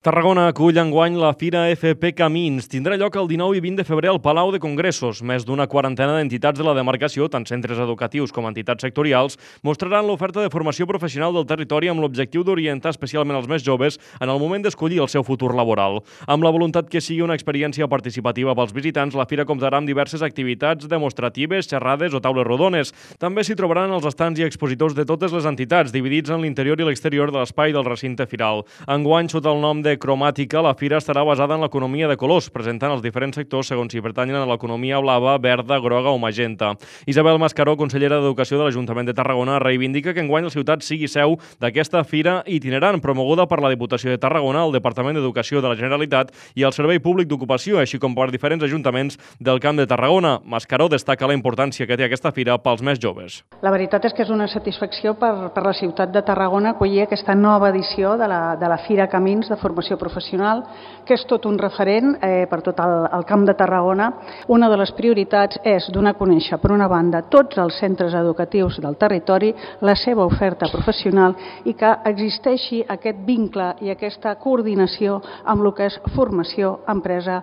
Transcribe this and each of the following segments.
Tarragona acull enguany la Fira FP Camins. Tindrà lloc el 19 i 20 de febrer al Palau de Congressos. Més d'una quarantena d'entitats de la demarcació, tant centres educatius com entitats sectorials, mostraran l'oferta de formació professional del territori amb l'objectiu d'orientar especialment els més joves en el moment d'escollir el seu futur laboral. Amb la voluntat que sigui una experiència participativa pels visitants, la Fira comptarà amb diverses activitats demostratives, xerrades o taules rodones. També s'hi trobaran els estants i expositors de totes les entitats, dividits en l'interior i l'exterior de l'espai del recinte firal. Enguany, sota el nom de Cromàtica, la fira estarà basada en l'economia de colors, presentant els diferents sectors segons si pertanyen a l'economia blava, verda, groga o magenta. Isabel Mascaró, consellera d'Educació de l'Ajuntament de Tarragona, reivindica que enguany la ciutat sigui seu d'aquesta fira itinerant, promoguda per la Diputació de Tarragona, el Departament d'Educació de la Generalitat i el Servei Públic d'Ocupació, així com per diferents ajuntaments del Camp de Tarragona. Mascaró destaca la importància que té aquesta fira pels més joves. La veritat és que és una satisfacció per la ciutat de Tarragona acollir aquesta nova edició de la Fira Camins de formació professional, que és tot un referent per tot el Camp de Tarragona. Una de les prioritats és donar a conèixer, per una banda, tots els centres educatius del territori, la seva oferta professional i que existeixi aquest vincle i aquesta coordinació amb el que és formació, empresa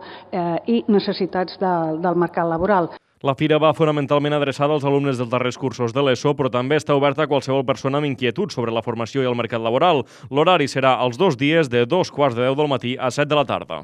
i necessitats del mercat laboral. La fira va fonamentalment adreçada als alumnes dels darrers cursos de l'ESO, però també està oberta a qualsevol persona amb inquietud sobre la formació i el mercat laboral. L'horari serà els 2 dies de 2:15 del matí a 7 de la tarda.